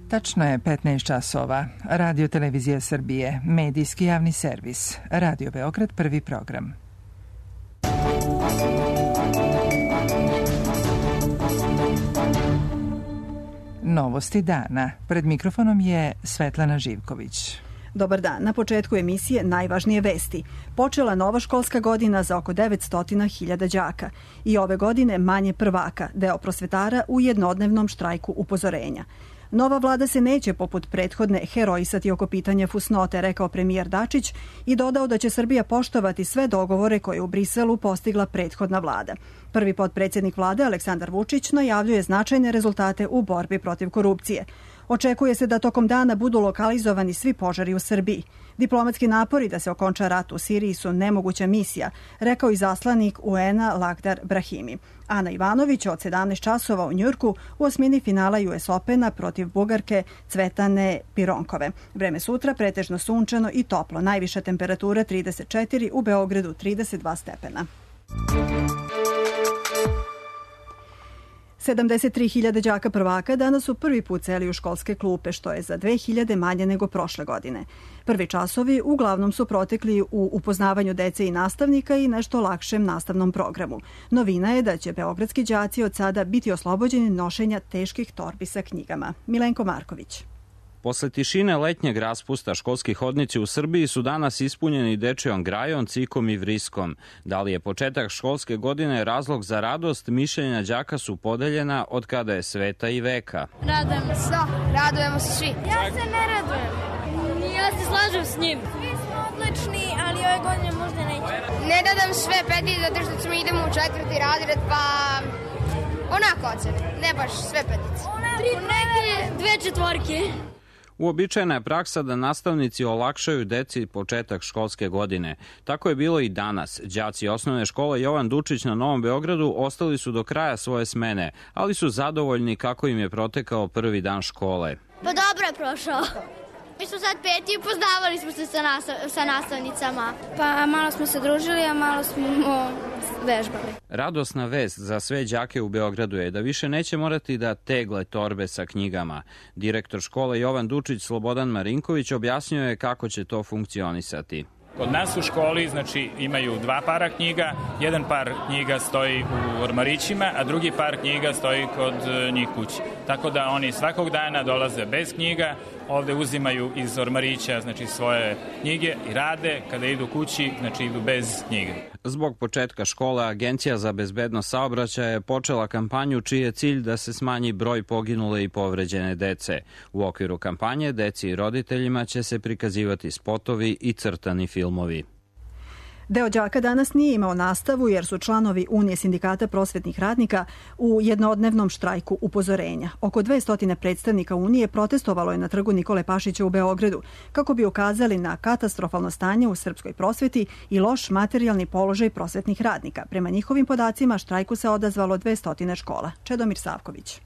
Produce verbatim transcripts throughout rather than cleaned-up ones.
Tačno je petnaest časova. Radio Televizija Srbije, medijski javni servis. Radio Beograd, prvi program. Novosti dana. Pred mikrofonom je Svetlana Živković. Dobar dan. Na početku emisije najvažnije vesti. Počela nova školska godina za oko devetsto hiljada đaka. I ove godine manje prvaka, deo prosvetara u jednodnevnom štrajku upozorenja. Nova vlada se neće poput prethodne herojisati oko pitanja fusnote, rekao premijer Dačić i dodao da će Srbija poštovati sve dogovore koje u Briselu postigla prethodna vlada. Prvi potpredsjednik vlade Aleksandar Vučić najavljuje značajne rezultate u borbi protiv korupcije. Očekuje se da tokom dana budu lokalizovani svi požari u Srbiji. Diplomatski napori da se okonča rat u Siriji su nemoguća misija, rekao i zaslanik U N-a Lakhdar Brahimi. Ana Ivanović od sedamnaest časova u Njujorku u osmini finala U S Opena protiv Bugarke Cvetane Pironkove. Vreme sutra pretežno sunčano i toplo. Najviša temperatura trideset četiri, u Beogradu trideset dva stepena. sedamdeset tri hiljade đaka prvaka danas su prvi put seli u školske klupe, što je za dve hiljade manje nego prošle godine. Prvi časovi uglavnom su protekli u upoznavanju dece i nastavnika i nešto lakšem nastavnom programu. Novina je da će beogradski đaci od sada biti oslobođeni nošenja teških torbi sa knjigama. Milenko Marković. Posle tišine letnjeg raspusta, školski hodnici u Srbiji su danas ispunjeni dečijom grajom, cikom i vriskom. Da li je početak školske godine razlog za radost, mišljenja đaka su podeljena od kada je sveta i veka. Radujem se. Da, radujemo se svi. Ja se ne radujem. Ja se slažem s njim. Svi smo odlični, ali ove godine možda neće. Ne dadam sve peti zato što ćemo idemo u četvrti razred, pa onako ocene. Ne baš sve petice. Tri neke, dve četvorke. Uobičajena je praksa da nastavnici olakšaju deci početak školske godine. Tako je bilo i danas. Đaci osnovne škole Jovan Dučić na Novom Beogradu ostali su do kraja svoje smene, ali su zadovoljni kako im je protekao prvi dan škole. Pa dobro je prošao. Mi smo sad peti i upoznavali smo se sa, nastav, sa nastavnicama. Pa malo smo se družili, a malo smo vežbali. Radosna vest za sve đake u Beogradu je da više neće morati da tegle torbe sa knjigama. Direktor škole Jovan Dučić Slobodan Marinković objasnio je kako će to funkcionisati. Kod nas u školi znači, imaju dva para knjiga, jedan par knjiga stoji u ormarićima, a drugi par knjiga stoji kod njih kući. Tako da oni svakog dana dolaze bez knjiga, ovde uzimaju iz ormarića znači, svoje knjige i rade, kada idu kući, znači idu bez knjiga. Zbog početka škole, Agencija za bezbednost saobraćaja je počela kampanju čiji je cilj da se smanji broj poginule i povređene dece. U okviru kampanje deci i roditeljima će se prikazivati spotovi i crtani filmovi. Deo đaka danas nije imao nastavu jer su članovi Unije sindikata prosvetnih radnika u jednodnevnom štrajku upozorenja. Oko dvesta predstavnika Unije protestovalo je na trgu Nikole Pašića u Beogradu kako bi ukazali na katastrofalno stanje u srpskoj prosveti i loš materijalni položaj prosvetnih radnika. Prema njihovim podacima štrajku se odazvalo dvesta škola. Čedomir Savković.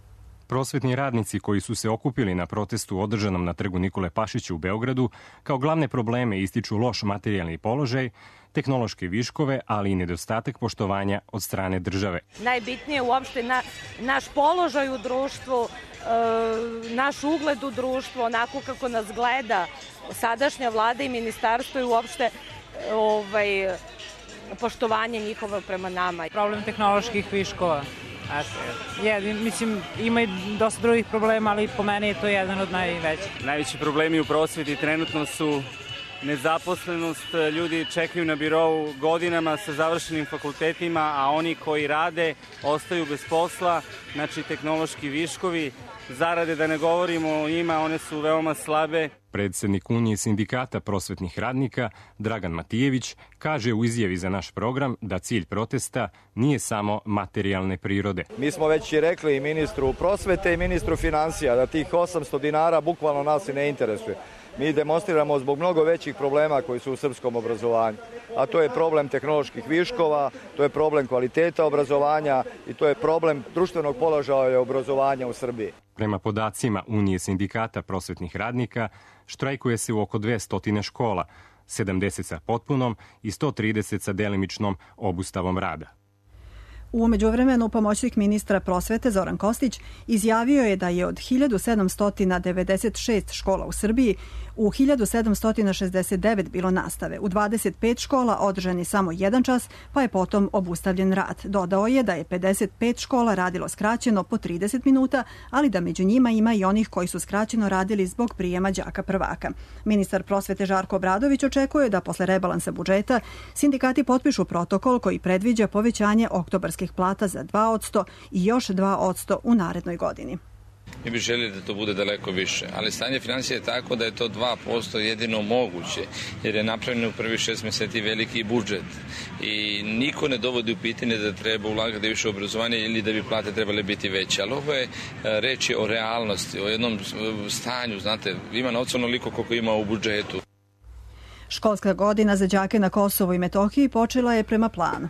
Prosvetni radnici koji su se okupili na protestu održanom na trgu Nikole Pašića u Beogradu kao glavne probleme ističu loš materijalni položaj, tehnološke viškove, ali i nedostatak poštovanja od strane države. Najbitnije je uopšte na, naš položaj u društvu, e, naš ugled u društvu, onako kako nas gleda sadašnja vlada i ministarstvo i uopšte ovaj, poštovanje njihovo prema nama. Problem tehnoloških viškova. Je, mislim, ima i dosta drugih problema, ali po meni je to jedan od najvećih. Najveći problemi u prosveti trenutno su nezaposlenost, ljudi čekaju na birou godinama sa završenim fakultetima, a oni koji rade ostaju bez posla, znači tehnološki viškovi, zarade da ne govorimo o njima, one su veoma slabe. Predsednik Unije sindikata prosvetnih radnika Dragan Matijević kaže u izjavi za naš program da cilj protesta nije samo materijalne prirode. Mi smo već i rekli i ministru prosvete i ministru finansija da tih osamsto dinara bukvalno nas i ne interesuje. Mi demonstriramo zbog mnogo većih problema koji su u srpskom obrazovanju, a to je problem tehnoloških viškova, to je problem kvaliteta obrazovanja i to je problem društvenog položaja obrazovanja u Srbiji. Prema podacima Unije sindikata prosvetnih radnika, štrajkuje se u oko dvesta škola, sedamdeset sa potpunom i sto trideset sa delimičnom obustavom rada. U međuvremenu pomoćnik ministra prosvete Zoran Kostić izjavio je da je od hiljadu sedamsto devedeset šest škola u Srbiji u hiljadu sedamsto šezdeset devet bilo nastave. U dvadeset pet škola održan je samo jedan čas, pa je potom obustavljen rad. Dodao je da je pedeset pet škola radilo skraćeno po trideset minuta, ali da među njima ima i onih koji su skraćeno radili zbog prijema đaka prvaka. Ministar prosvete Žarko Obradović očekuje da posle rebalansa budžeta sindikati potpišu protokol koji predviđa povećanje oktobarskih plata za dva posto i još dva posto u narednoj godini. Mi bi željeli da to bude daleko više, ali stanje financija je tako da je to dva posto jedino moguće, jer je napravljeno u prvih šest meseci veliki budžet i niko ne dovodi u pitanje da treba ulagati više u obrazovanje ili da bi plate trebale biti veće, ali ovo je reč je o realnosti, o jednom stanju, znate, ima novca onoliko koliko ima u budžetu. Školska godina za đake na Kosovu i Metohiji počela je prema planu.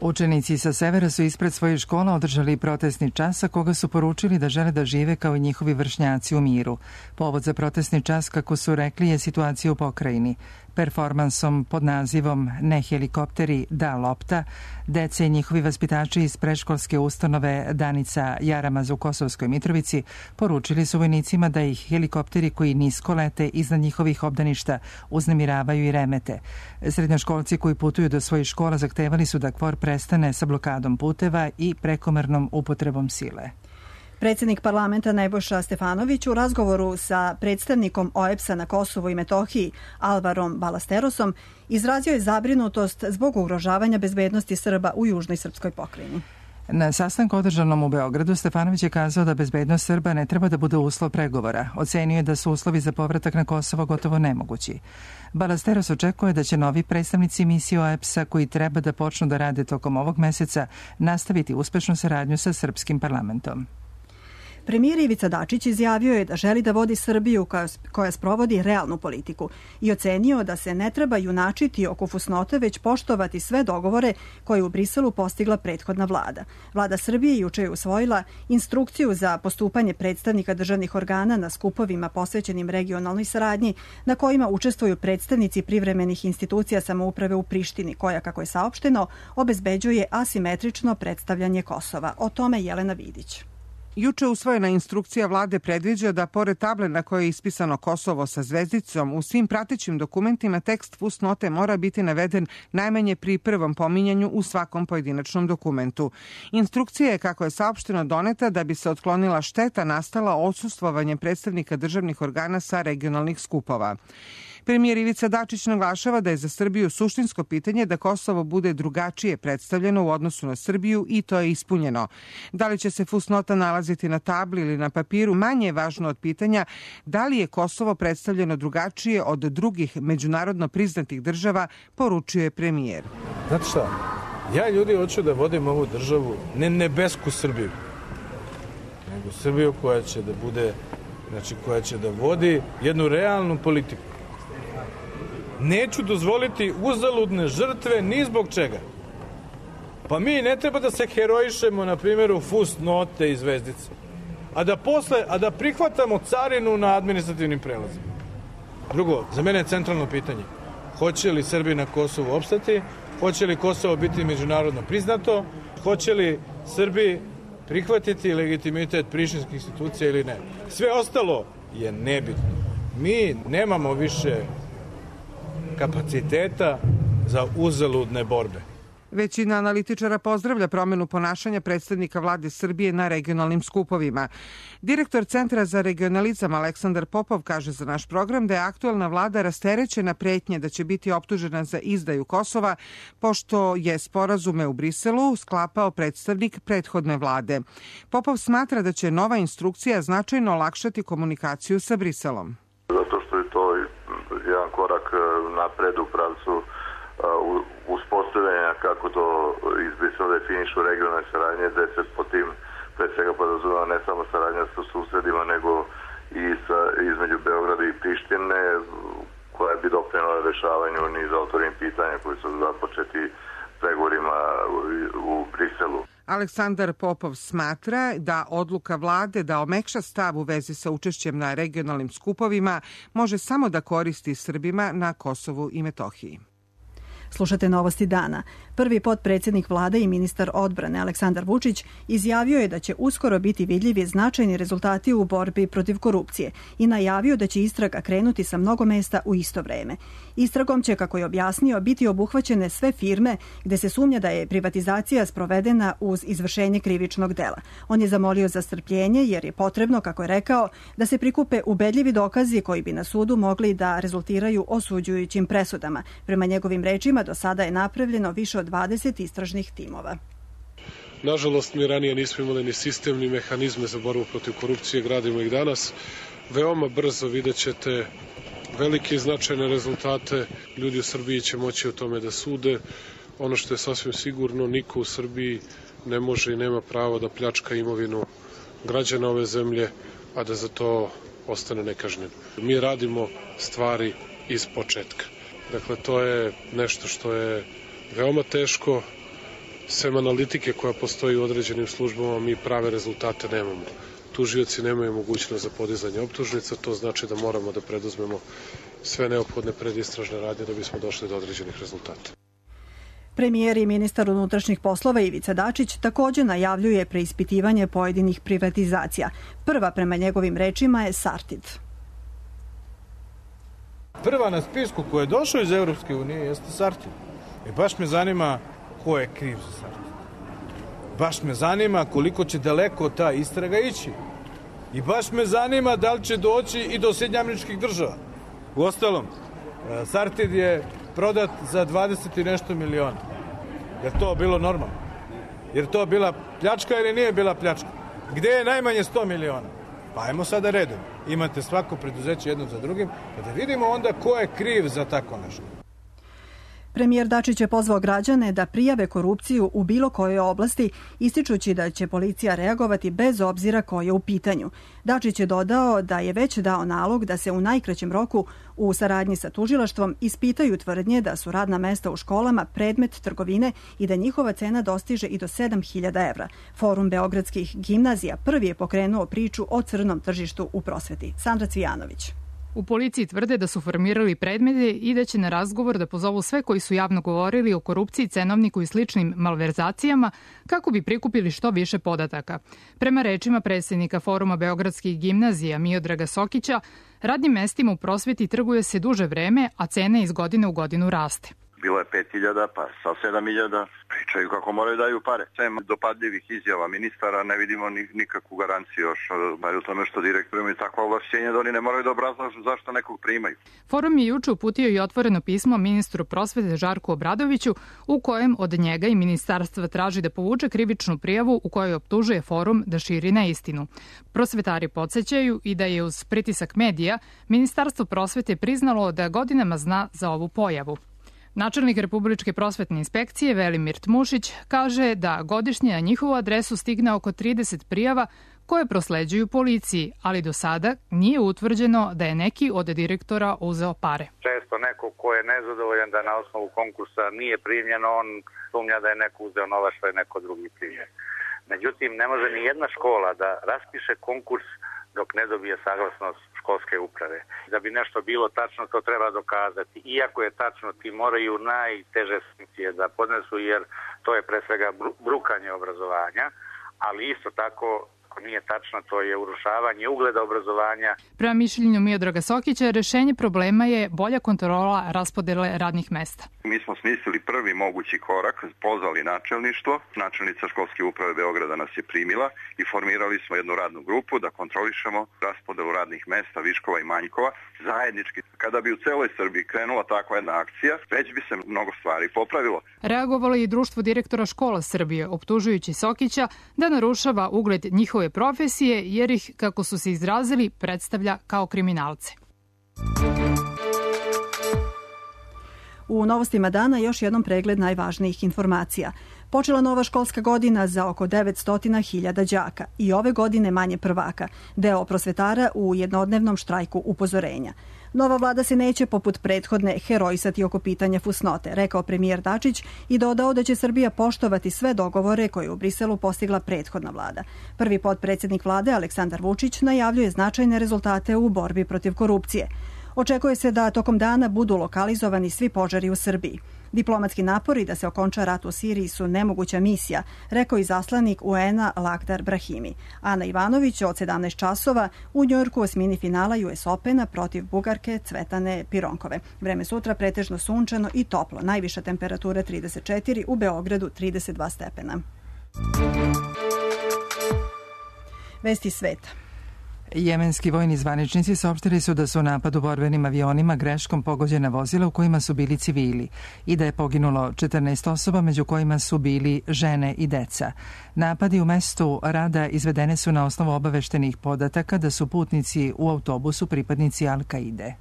Učenici sa severa su ispred svojih škola održali protestni čas, a koga su poručili da žele da žive kao i njihovi vršnjaci u miru. Povod za protestni čas, kako su rekli, je situacija u pokrajini. Performansom pod nazivom Ne helikopteri, da lopta, dece i njihovi vaspitači iz predškolske ustanove Danica Jaramaz u Kosovskoj Mitrovici poručili su vojnicima da ih helikopteri koji nisko lete iznad njihovih obdaništa uznemiravaju i remete. Srednjoškolci koji putuju do svojih škola zahtevali su da KFOR prestane sa blokadom puteva i prekomernom upotrebom sile. Predsjednik parlamenta Nebojša Stefanović u razgovoru sa predstavnikom O E B S-a na Kosovu i Metohiji Alvarom Balasterosom izrazio je zabrinutost zbog ugrožavanja bezbednosti Srba u južnoj srpskoj pokrajini. Na sastanku održanom u Beogradu Stefanović je kazao da bezbednost Srba ne treba da bude uslov pregovora. Ocenio je da su uslovi za povratak na Kosovo gotovo nemogući. Balasteros očekuje da će novi predstavnici misije O E B S-a koji treba da počnu da rade tokom ovog meseca nastaviti uspešnu saradnju sa srpskim parlamentom. Premijer Ivica Dačić izjavio je da želi da vodi Srbiju koja, koja sprovodi realnu politiku i ocenio da se ne treba junačiti oko fusnote, već poštovati sve dogovore koje je u Briselu postigla prethodna vlada. Vlada Srbije juče je usvojila instrukciju za postupanje predstavnika državnih organa na skupovima posvećenim regionalnoj saradnji, na kojima učestvuju predstavnici privremenih institucija samouprave u Prištini, koja, kako je saopšteno, obezbeđuje asimetrično predstavljanje Kosova. O tome Jelena Vidić. Juče usvojena instrukcija vlade predviđa da pored table na kojoj je ispisano Kosovo sa zvezdicom, u svim pratećim dokumentima tekst fusnote mora biti naveden najmanje pri prvom pominjanju u svakom pojedinačnom dokumentu. Instrukcija je, kako je saopšteno, doneta da bi se otklonila šteta nastala odsustvovanjem predstavnika državnih organa sa regionalnih skupova. Premijer Ivica Dačić naglašava da je za Srbiju suštinsko pitanje da Kosovo bude drugačije predstavljeno u odnosu na Srbiju i to je ispunjeno. Da li će se fusnota nalaziti na tabli ili na papiru, manje je važno od pitanja da li je Kosovo predstavljeno drugačije od drugih međunarodno priznatih država, poručio je premijer. Znate šta, ja ljudi hoću da vodim ovu državu, ne nebesku Srbiju, nego Srbiju koja će da bude, znači koja će da vodi jednu realnu politiku. Neću dozvoliti uzaludne žrtve ni zbog čega. Pa mi ne treba da se herojišemo, na primjeru fusnote i zvezdice, a da posle, a da prihvatamo carinu na administrativnim prelazima. Drugo, za mene je centralno pitanje, hoće li Srbi na Kosovu opstati, hoće li Kosovo biti međunarodno priznato, hoće li Srbi prihvatiti legitimitet prištinskih institucija ili ne. Sve ostalo je nebitno. Mi nemamo više kapaciteta za uzaludne borbe. Većina analitičara pozdravlja promenu ponašanja predstavnika vlade Srbije na regionalnim skupovima. Direktor Centra za regionalizam Aleksandar Popov kaže za naš program da je aktuelna vlada rasterećena pretnje da će biti optužena za izdaju Kosova, pošto je sporazume u Briselu sklapao predstavnik prethodne vlade. Popov smatra da će nova instrukcija značajno olakšati komunikaciju sa Briselom. Zato što je to jedan korak napred u pravcu uspostavljanja kako to iz Brisela definišu regionalne saradnje, gde se po tim pre svega podrazumeva ne samo saradnja sa susedima, nego i sa, između Beograda i Prištine, koja bi doprinela rešavanju niza otvorenih pitanja koji su započeti pregovorima u Briselu. Aleksandar Popov smatra da odluka vlade da omekša stav u vezi sa učešćem na regionalnim skupovima može samo da koristi Srbima na Kosovu i Metohiji. Slušate Novosti dana. Prvi potpredsjednik vlade i ministar odbrane Aleksandar Vučić izjavio je da će uskoro biti vidljivi značajni rezultati u borbi protiv korupcije i najavio da će istraga krenuti sa mnogo mesta u isto vreme. Istragom će, kako je objasnio, biti obuhvaćene sve firme gde se sumnja da je privatizacija sprovedena uz izvršenje krivičnog dela. On je zamolio za strpljenje jer je potrebno, kako je rekao, da se prikupe ubedljivi dokazi koji bi na sudu mogli da rezultiraju osuđujućim presudama. Prema njegovim rečima, do sada je napravljeno više od dvadeset istražnih timova. Nažalost, mi ranije nismo imali ni sistem, ni mehanizme za borbu protiv korupcije, gradimo ih danas. Veoma brzo vidjet ćete velike i značajne rezultate. Ljudi u Srbiji će moći o tome da sude. Ono što je sasvim sigurno, niko u Srbiji ne može i nema pravo da pljačka imovinu građana ove zemlje, a da za to ostane nekažnjen. Mi radimo stvari iz početka. Dakle, to je nešto što je veoma teško. Sem analitike koja postoji u određenim službama, mi prave rezultate nemamo. Tužioci nemaju mogućnost za podizanje optužnica, to znači da moramo da preduzmemo sve neophodne predistražne radnje da bismo došli do određenih rezultata. Premijer i ministar unutrašnjih poslova Ivica Dačić također najavljuje preispitivanje pojedinih privatizacija. Prva, prema njegovim rečima, je Sartid. Prva na spisku koja je došla iz Evropske unije jeste Sartid. I baš me zanima ko je kriv za Sartid. Baš me zanima koliko će daleko ta istraga ići. I baš me zanima da li će doći i do Sjedinjenih Američkih Država. Uostalom, Sartid je prodat za dvadeset i nešto miliona. Je to bilo normalno? Jer to bila pljačka ili nije bila pljačka? Gde je najmanje sto miliona? Pa ajmo sada redom. Imate svako preduzeće jedno za drugim, pa da vidimo onda ko je kriv za tako nešto. Premijer Dačić je pozvao građane da prijave korupciju u bilo kojoj oblasti, ističući da će policija reagovati bez obzira ko je u pitanju. Dačić je dodao da je već dao nalog da se u najkraćem roku u saradnji sa tužilaštvom ispitaju tvrdnje da su radna mesta u školama predmet trgovine i da njihova cena dostiže i do sedam hiljada evra. Forum beogradskih gimnazija prvi je pokrenuo priču o crnom tržištu u prosveti. Sandra Cvijanović. U policiji tvrde da su formirali predmete i da će na razgovor da pozovu sve koji su javno govorili o korupciji, cenovniku i sličnim malverzacijama kako bi prikupili što više podataka. Prema rečima predsjednika Foruma beogradskih gimnazija Miodraga Sokića, radnim mestima u prosveti trguje se duže vreme, a cena iz godine u godinu raste. Bilo je pet hiljada, pa sa sedam hiljada. Pričaju kako moraju daju pare. Sem dopadljivih izjava ministara ne vidimo ni, nikakvu garanciju još. Bar u tome što direktori imaju takva ovlašćenja da oni ne moraju da obrazlažu zašto nekog primaju. Forum je juče uputio i otvoreno pismo ministru prosvete Žarku Obradoviću u kojem od njega i ministarstva traži da povuče krivičnu prijavu u kojoj optužuje Forum da širi neistinu. Prosvetari podsjećaju i da je uz pritisak medija Ministarstvo prosvete priznalo da godinama zna za ovu pojavu. Načelnik Republičke prosvetne inspekcije Velimir Tmušić kaže da godišnje na njihovu adresu stigne oko trideset prijava koje prosleđuju policiji, ali do sada nije utvrđeno da je neki od direktora uzeo pare. Često neko ko je nezadovoljan da na osnovu konkursa nije primljen, on sumnja da je neko uzeo novac što je neko drugi primljen. Međutim, ne može ni jedna škola da raspiše konkurs dok ne dobije saglasnost školske uprave. Da bi nešto bilo tačno, to treba dokazati. Iako je tačno, ti moraju najteže sankcije da podnesu, jer to je pre svega brukanje obrazovanja, ali isto tako, ako nije tačno, to je urušavanje ugleda obrazovanja. Prema mišljenju Miodraga Sokića, rešenje problema je bolja kontrola raspodele radnih mesta. Mi smo smislili prvi mogući korak, pozvali načelništvo. Načelnica školske uprave Beograda nas je primila i formirali smo jednu radnu grupu da kontrolišemo raspodelu radnih mesta, viškova i manjkova zajednički. Kada bi u celoj Srbiji krenula takva jedna akcija, već bi se mnogo stvari popravilo. Reagovalo je i Društvo direktora škola Srbije, optužujući Sokića da narušava ugled njihove profesije, jer ih, kako su se izrazili, predstavlja kao kriminalce. U novostima dana još jednom pregled najvažnijih informacija. Počela nova školska godina za oko devetsto hiljada đaka i ove godine manje prvaka, deo prosvetara u jednodnevnom štrajku upozorenja. Nova vlada se neće poput prethodne herojsati oko pitanja fusnote, rekao premijer Dačić i dodao da će Srbija poštovati sve dogovore koje u Briselu postigla prethodna vlada. Prvi potpredsjednik vlade Aleksandar Vučić najavljuje značajne rezultate u borbi protiv korupcije. Očekuje se da tokom dana budu lokalizovani svi požari u Srbiji. Diplomatski napori da se okonča rat u Siriji su nemoguća misija, rekao izaslanik U N-a Lakhdar Brahimi. Ana Ivanović od sedamnaest časova u Njujorku osmini finala U S Opena protiv Bugarke Cvetane Pironkove. Vreme sutra pretežno sunčano i toplo. Najviša temperatura trideset četiri, u Beogradu trideset dva stepena. Vesti sveta. Jemenski vojni zvaničnici saopštili su da su u napadu borbenim avionima greškom pogođena vozila u kojima su bili civili i da je poginulo četrnaest osoba, među kojima su bili žene i deca. Napadi u mestu Rada izvedene su na osnovu obaveštenih podataka da su putnici u autobusu pripadnici Al-Kaide.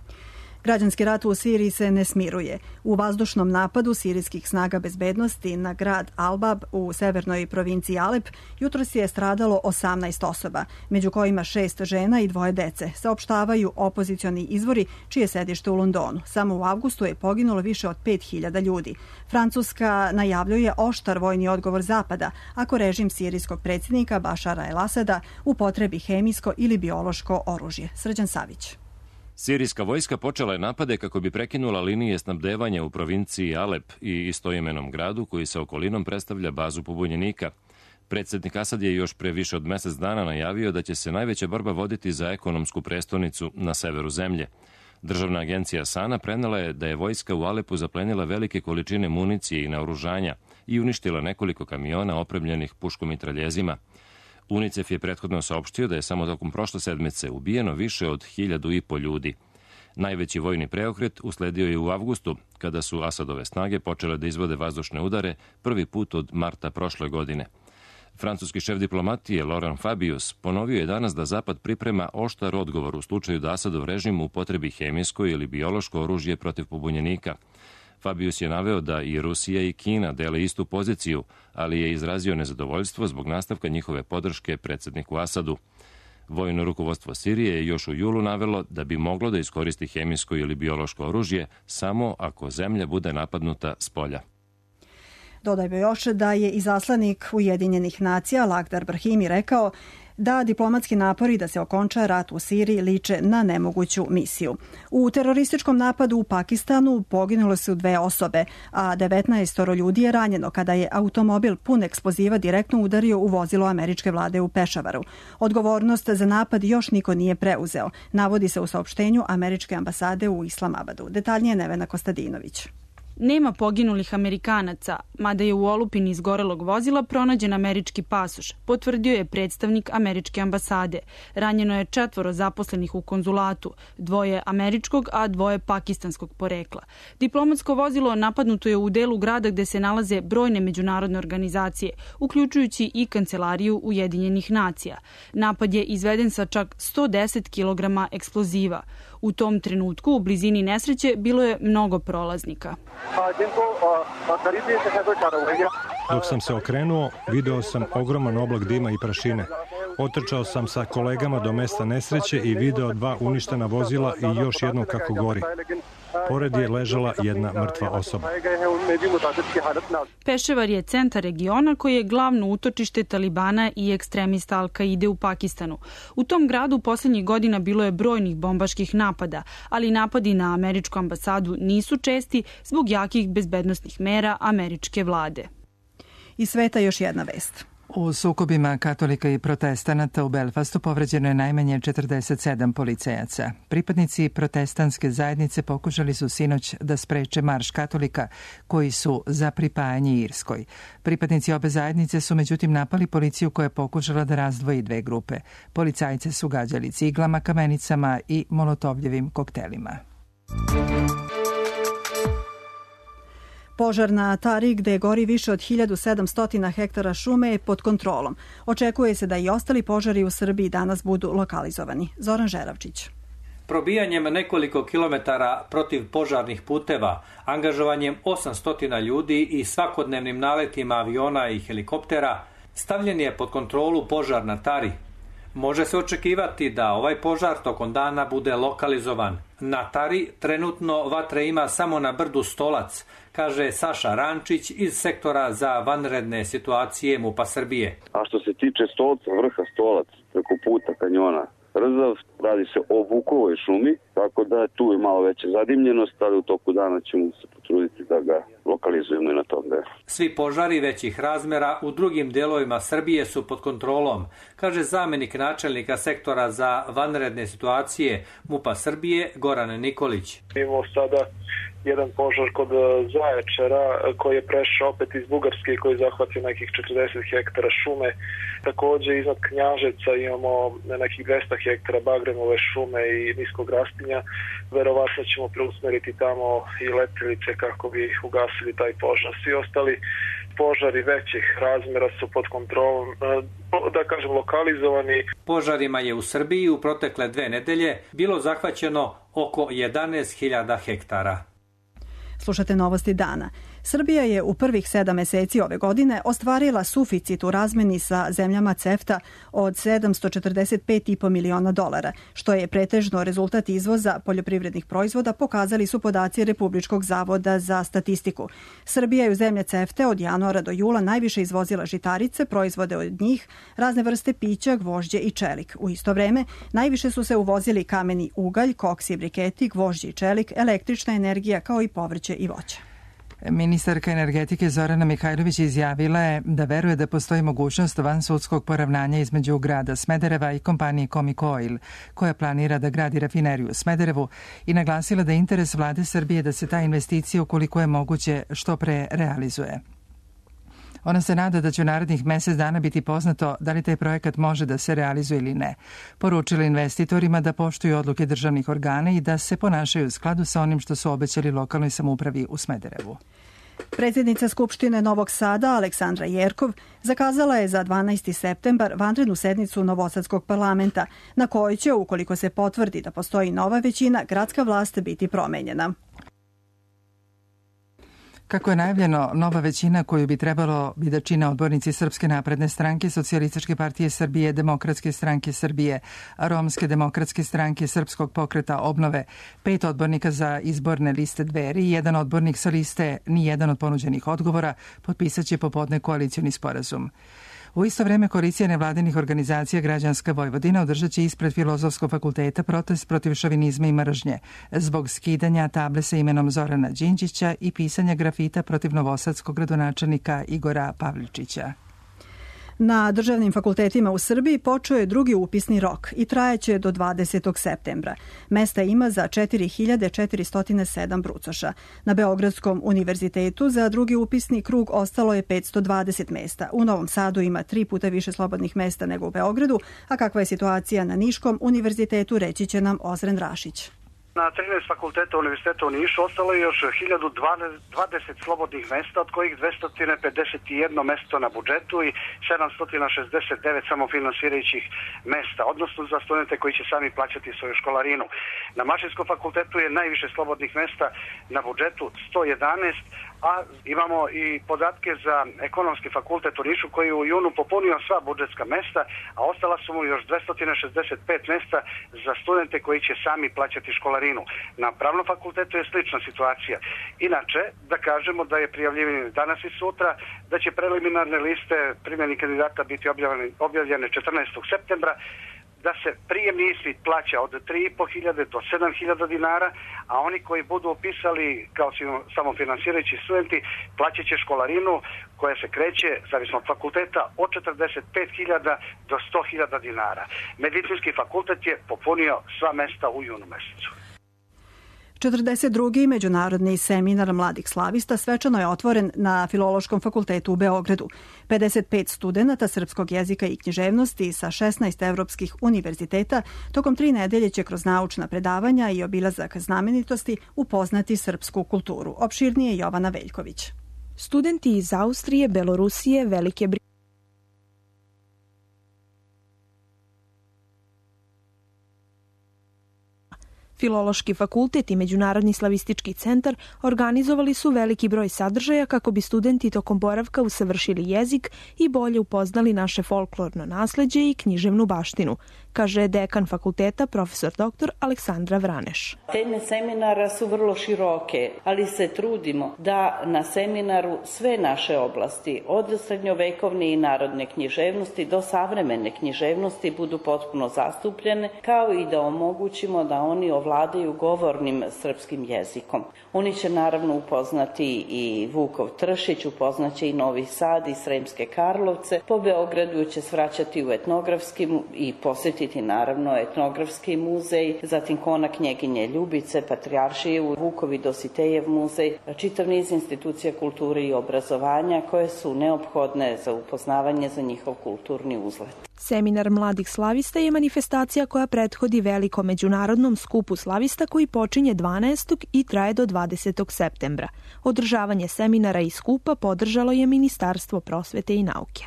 Građanski rat u Siriji se ne smiruje. U vazdušnom napadu sirijskih snaga bezbednosti na grad Albab u severnoj provinciji Alep jutros je stradalo osamnaest osoba, među kojima šest žena i dvoje dece, saopštavaju opozicioni izvori čije sedište u Londonu. Samo u avgustu je poginulo više od pet hiljada ljudi. Francuska najavljuje oštar vojni odgovor Zapada ako režim sirijskog predsjednika Bašara el-Asada upotrebi hemijsko ili biološko oružje. Srđan Savić. Sirijska vojska počela je napade kako bi prekinula linije snabdevanja u provinciji Alep i istoimenom gradu koji sa okolinom predstavlja bazu pobunjenika. Predsjednik Asad je još pre više od mesec dana najavio da će se najveća borba voditi za ekonomsku prestonicu na severu zemlje. Državna agencija Sana prenela je da je vojska u Alepu zaplenila velike količine municije i naoružanja i uništila nekoliko kamiona opremljenih puškomitraljezima. UNICEF je prethodno saopštio da je samo tokom prošle sedmice ubijeno više od hiljadu i po ljudi. Najveći vojni preokret usledio je u avgustu, kada su Asadove snage počele da izvode vazdušne udare prvi put od marta prošle godine. Francuski šef diplomatije Laurent Fabius ponovio je danas da Zapad priprema oštar odgovor u slučaju da Asadov režim upotrebi hemijsko ili biološko oružje protiv pobunjenika. Fabius je naveo da i Rusija i Kina dele istu poziciju, ali je izrazio nezadovoljstvo zbog nastavka njihove podrške predsjedniku Asadu. Vojno rukovodstvo Sirije je još u julu navelo da bi moglo da iskoristi hemijsko ili biološko oružje samo ako zemlja bude napadnuta s polja. Dodajmo još da je izaslanik Ujedinjenih nacija Lakhdar Brahimi rekao da diplomatski napori da se okonča rat u Siriji liče na nemoguću misiju. U terorističkom napadu u Pakistanu poginule su dve osobe, a devetnaest ljudi je ranjeno kada je automobil pun eksploziva direktno udario u vozilo američke vlade u Pešavaru. Odgovornost za napad još niko nije preuzeo, navodi se u saopštenju američke ambasade u Islamabadu. Detaljnije Nevena Kostadinović. Nema poginulih Amerikanaca, mada je u olupini izgorelog vozila pronađen američki pasoš, potvrdio je predstavnik američke ambasade. Ranjeno je četvoro zaposlenih u konzulatu, dvoje američkog, a dvoje pakistanskog porekla. Diplomatsko vozilo napadnuto je u delu grada gde se nalaze brojne međunarodne organizacije, uključujući i Kancelariju Ujedinjenih nacija. Napad je izveden sa čak sto deset kilograma eksploziva. U tom trenutku u blizini nesreće bilo je mnogo prolaznika. Dok sam se okrenuo, video sam ogroman oblak dima i prašine. Otrčao sam sa kolegama do mesta nesreće i video dva uništena vozila i još jedno kako gori. Pored je ležala jedna mrtva osoba. Pešavar je centar regiona koji je glavno utočište Talibana i ekstremista Al-Kaide u Pakistanu. U tom gradu posljednjih godina bilo je brojnih bombaških napada, ali napadi na američku ambasadu nisu česti zbog jakih bezbednosnih mera američke vlade. Iz sveta još jedna vest. U sukobima katolika i protestanata u Belfastu povređeno je najmanje četrdeset sedam policajaca. Pripadnici protestantske zajednice pokušali su sinoć da spreče marš katolika koji su za pripajanje Irskoj. Pripadnici obe zajednice su međutim napali policiju koja je pokušala da razdvoji dve grupe. Policajce su gađali ciglama, kamenicama i molotovljevim koktelima. Požar na Tari, gde gori više od hiljadu sedamsto hektara šume, je pod kontrolom. Očekuje se da i ostali požari u Srbiji danas budu lokalizovani. Zoran Žeravčić. Probijanjem nekoliko kilometara protiv požarnih puteva, angažovanjem osamsto ljudi i svakodnevnim naletima aviona i helikoptera, stavljen je pod kontrolu požar na Tari. Može se očekivati da ovaj požar tokom dana bude lokalizovan. Na Tari trenutno vatre ima samo na brdu Stolac, kaže Saša Rančić iz sektora za vanredne situacije MUP-a Srbije. A što se tiče Stolca, vrha Stolac, preko puta kanjona Rzav, radi se o bukovoj šumi, tako da tu je malo veća zadimljenost, ali u toku dana ćemo se potruditi da ga lokalizujemo i na tom delu. Svi požari većih razmera u drugim delovima Srbije su pod kontrolom, kaže zamenik načelnika sektora za vanredne situacije MUP-a Srbije Goran Nikolić. Imamo sada jedan požar kod Zaječara koji je prešao opet iz Bugarske i koji je zahvatio nekih četrdeset hektara šume. Takođe iznad Knjaževca imamo nekih dvesta hektara bagremove šume i niskog rastinja. Verovatno ćemo preusmeriti tamo i letelice kako bi ugasili taj požar. Svi ostali požari većih razmera su pod kontrolom, da kažem, lokalizovani. Požarima je u Srbiji u protekle dve nedelje bilo zahvaćeno oko jedanaest hiljada hektara. Slušate novosti dana. Srbija je u prvih sedam meseci ove godine ostvarila suficit u razmeni sa zemljama CEFTA od sedamsto četrdeset pet i po miliona dolara, što je pretežno rezultat izvoza poljoprivrednih proizvoda, pokazali su podaci Republičkog zavoda za statistiku. Srbija je u zemlje CEFTA od januara do jula najviše izvozila žitarice, proizvode od njih, razne vrste pića, gvožđe i čelik. U isto vreme najviše su se uvozili kameni ugalj, koks i briketi, gvožđe i čelik, električna energija kao i povrće i voće. Ministarka energetike Zorana Mihajlović izjavila je da veruje da postoji mogućnost vansudskog poravnanja između grada Smedereva i kompanije Comic Oil, koja planira da gradi rafineriju u Smederevu, i naglasila da je interes vlade Srbije da se ta investicija, ukoliko je moguće, što pre realizuje. Ona se nada da će u narednih mesec dana biti poznato da li taj projekat može da se realizuje ili ne. Poručila investitorima da poštuju odluke državnih organa i da se ponašaju u skladu sa onim što su obećali lokalnoj samoupravi u Smederevu. Predsjednica Skupštine Novog Sada, Aleksandra Jerkov, zakazala je za dvanaesti septembar vanrednu sednicu Novosadskog parlamenta, na kojoj će, ukoliko se potvrdi da postoji nova većina, gradska vlast biti promenjena. Kako je najavljeno, nova većina koju bi trebalo bi da čine odbornici Srpske napredne stranke, Socijalističke partije Srbije, Demokratske stranke Srbije, Romske demokratske stranke, Srpskog pokreta obnove, pet odbornika za izborne liste Dveri i jedan odbornik sa liste Nijedan od ponuđenih odgovora, potpisat će popodne koalicioni sporazum. U isto vreme koalicija nevladinih organizacija Građanska Vojvodina održat će ispred Filozofskog fakulteta protest protiv šovinizma i mržnje zbog skidanja table sa imenom Zorana Đinđića i pisanja grafita protiv novosadskog gradonačelnika Igora Pavličića. Na državnim fakultetima u Srbiji počeo je drugi upisni rok i trajaće do dvadesetog septembra. Mesta ima za četiri hiljade četiristo sedam brucoša. Na Beogradskom univerzitetu za drugi upisni krug ostalo je petsto dvadeset mesta. U Novom Sadu ima tri puta više slobodnih mesta nego u Beogradu, a kakva je situacija na Niškom univerzitetu reći će nam Ozren Rašić. Na trinaest fakulteta Univerziteta u Nišu ostalo je još hiljadu dvadeset slobodnih mesta, od kojih dvesta pedeset jedno mesto na budžetu i sedamsto šezdeset devet samofinansirajućih mesta, odnosno za studente koji će sami plaćati svoju školarinu. Na Mašinskom fakultetu je najviše slobodnih mesta na budžetu, sto jedanaest, a imamo i podatke za Ekonomski fakultet u Nišu koji je u junu popunio sva budžetska mesta, a ostala su mu još dvesta šezdeset pet mesta za studente koji će sami plaćati školarinu. Na Pravnom fakultetu je slična situacija. Inače, da kažemo da je prijavljivanje danas i sutra, da će preliminarne liste primljenih kandidata biti objavljene, objavljene četrnaestog septembra, da se prijemni ispit plaća od tri i po hiljade do sedam hiljada dinara, a oni koji budu upisali kao samofinansirajući studenti plaćat će školarinu koja se kreće, zavisno od fakulteta, od četrdeset pet hiljada do sto hiljada dinara. Medicinski fakultet je popunio sva mesta u junu mesecu. četrdeset drugi Međunarodni seminar mladih slavista svečano je otvoren na Filološkom fakultetu u Beogradu. pedeset pet studenata srpskog jezika i književnosti sa šesnaest evropskih univerziteta tokom tri nedelje će kroz naučna predavanja i obilazak znamenitosti upoznati srpsku kulturu. Opširnije Jovana Veljković. Studenti iz Austrije, Belorusije, Velike Britanije, Filološki fakultet i Međunarodni slavistički centar organizovali su veliki broj sadržaja kako bi studenti tokom boravka usavršili jezik i bolje upoznali naše folklorno nasleđe i književnu baštinu, kaže dekan fakulteta profesor doktor Aleksandra Vraneš. Teme seminara su vrlo široke, ali se trudimo da na seminaru sve naše oblasti, od srednjovekovne i narodne književnosti do savremene književnosti, budu potpuno zastupljene, kao i da omogućimo da oni ovladaju vladaju govornim srpskim jezikom. Oni će naravno upoznati i Vukov Tršić, upoznaće i Novi Sad i Sremske Karlovce. Po Beogradu će svraćati u etnografski i posjetiti naravno etnografski muzej, zatim Kona Knjeginje Ljubice, Patrijaršije u Vukovi Dositejev muzej, čitav niz institucija kulture i obrazovanja koje su neophodne za upoznavanje za njihov kulturni uzlet. Seminar mladih slavista je manifestacija koja prethodi velikom međunarodnom skupu slavista koji počinje dvanaestog i traje do dvadesetog septembra. Održavanje seminara i skupa podržalo je Ministarstvo prosvete i nauke.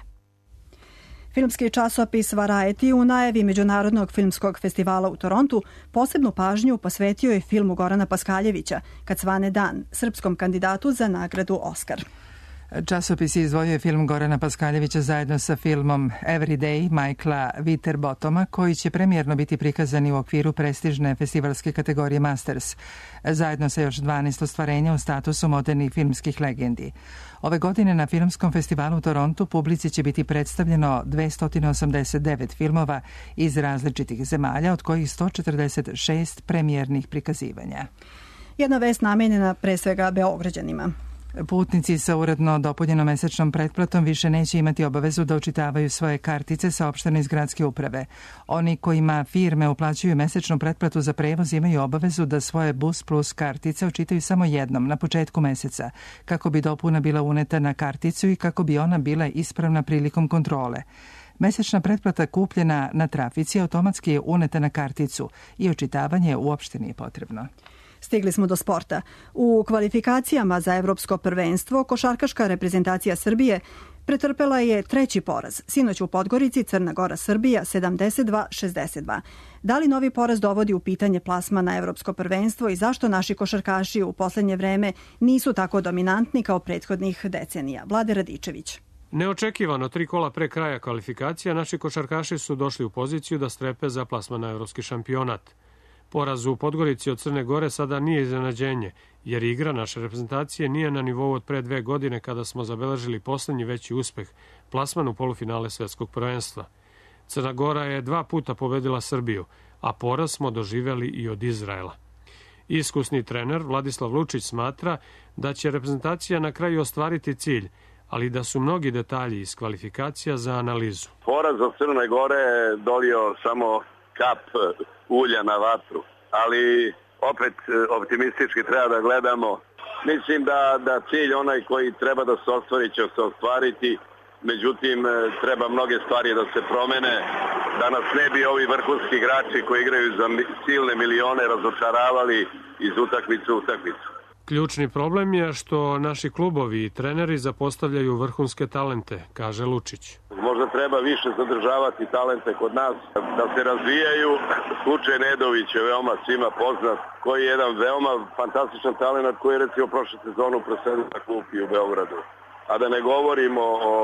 Filmski časopis Variety u najavi Međunarodnog filmskog festivala u Torontu posebnu pažnju posvetio je filmu Gorana Paskaljevića Kad svane dan, srpskom kandidatu za nagradu Oskar. Časopis izdvojio film Gorana Paskaljevića zajedno sa filmom Everyday Michaela Winterbotoma, koji će premijerno biti prikazani u okviru prestižne festivalske kategorije Masters, zajedno sa još dvanaest ostvarenja u statusu modernih filmskih legendi. Ove godine na Filmskom festivalu u Torontu publici će biti predstavljeno dvesta osamdeset devet filmova iz različitih zemalja, od kojih sto četrdeset šest premijernih prikazivanja. Jedna vest namenjena pre svega Beograđanima. Putnici sa uredno dopunjenom mesečnom pretplatom više neće imati obavezu da učitavaju svoje kartice saopštene iz gradske uprave. Oni kojima firme uplaćuju mesečnu pretplatu za prevoz imaju obavezu da svoje Bus Plus kartice učitaju samo jednom na početku meseca, kako bi dopuna bila uneta na karticu i kako bi ona bila ispravna prilikom kontrole. Mesečna pretplata kupljena na trafici automatski je uneta na karticu i očitavanje uopšte nije potrebno. Stigli smo do sporta. U kvalifikacijama za evropsko prvenstvo košarkaška reprezentacija Srbije pretrpela je treći poraz. Sinoć u Podgorici Crna Gora Srbija sedamdeset dva šezdeset dva. Da li novi poraz dovodi u pitanje plasman na evropsko prvenstvo i zašto naši košarkaši u poslednje vreme nisu tako dominantni kao prethodnih decenija? Vlade Radičević. Neočekivano, tri kola pre kraja kvalifikacija, naši košarkaši su došli u poziciju da strepe za plasman na evropski šampionat. Poraz u Podgorici od Crne Gore sada nije iznenađenje, jer igra naše reprezentacije nije na nivou od pre dve godine kada smo zabeležili poslednji veći uspeh, plasman u polufinale svetskog prvenstva. Crna Gora je dva puta pobedila Srbiju, a poraz smo doživeli i od Izraela. Iskusni trener Vladislav Lučić smatra da će reprezentacija na kraju ostvariti cilj, ali da su mnogi detalji iz kvalifikacija za analizu. Poraz od Crne Gore je dolio samo kap ulja na vatru, ali opet optimistički treba da gledamo. Mislim da, da cilj onaj koji treba da se ostvari će se ostvariti, međutim treba mnoge stvari da se promene, da nas ne bi ovi vrhunski igrači koji igraju za silne milione razočaravali iz utakmice u utakmicu. Ključni problem je što naši klubovi i treneri zapostavljaju vrhunske talente, kaže Lučić. Možda treba više zadržavati talente kod nas, da se razvijaju. Slučaj Nedović je veoma svima poznat, koji je jedan veoma fantastičan talent koji je recimo prošle sezonu prosledio na klupi u Beogradu. A da ne govorimo o,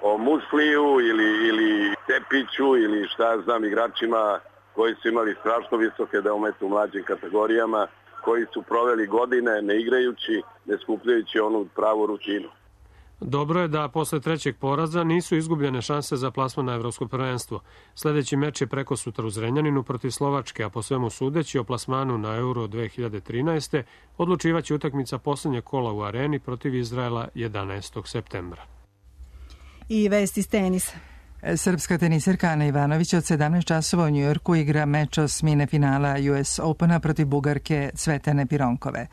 o Musliju ili, ili Tepiću ili šta ja znam igračima koji su imali strašno visoke daumete u mlađim kategorijama, koji su proveli godine ne igrajući, ne skupljajući onu pravu rutinu. Dobro je da posle trećeg poraza nisu izgubljene šanse za plasman na evropsko prvenstvo. Sledeći meč je preko sutra u Zrenjaninu protiv Slovačke, a po svemu sudeći o plasmanu na Euro dve hiljade trinaeste odlučivaće utakmica poslednjeg kola u Areni protiv Izraela jedanaestog septembra. I vesti iz tenisa. Srpska teniserka Ana Ivanović od sedamnaest časova u Njujorku igra meč osmine finala U S Opena protiv Bugarke Cvetane Pironkove.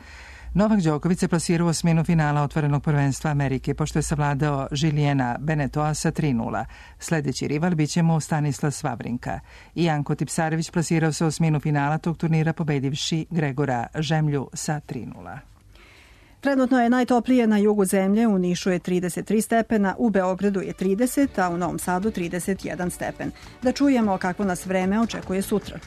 Novak Đoković se plasirao u osminu finala otvorenog prvenstva Amerike, pošto je savladao Žilijena Benetoa sa tri nula. Sledeći rival biće mu Stanislas Vavrinka. I Janko Tipsarević plasirao se u osminu finala tog turnira pobedivši Gregora Žemlju sa tri nula. Trenutno je najtoplije na jugu zemlje, u Nišu je trideset tri stepena, u Beogradu je trideset, a u Novom Sadu trideset jedan stepen. Da čujemo kako nas vreme očekuje sutra.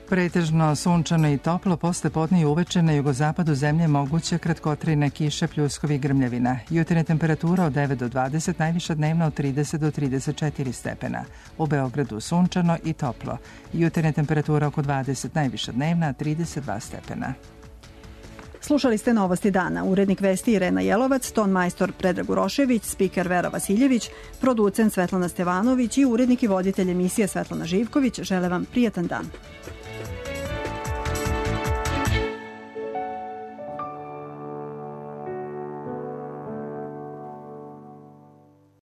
Pretežno sunčano i toplo, posle podne i uveče na jugozapadu zemlje moguće kratkotrajne kiše, pljuskovi i grmljavina. Jutarnja temperatura od devet do dvadeset, najviša dnevna od trideset do trideset četiri stepena. U Beogradu sunčano i toplo. Jutarnja temperatura oko dvadeset, najviša dnevna trideset dva stepena. Slušali ste Novosti dana. Urednik vesti Irena Jelovac, ton majstor Predrag Urošević, spiker Vera Vasiljević, producent Svetlana Stevanović i urednik i voditelj emisije Svetlana Živković. Žele vam prijatan dan.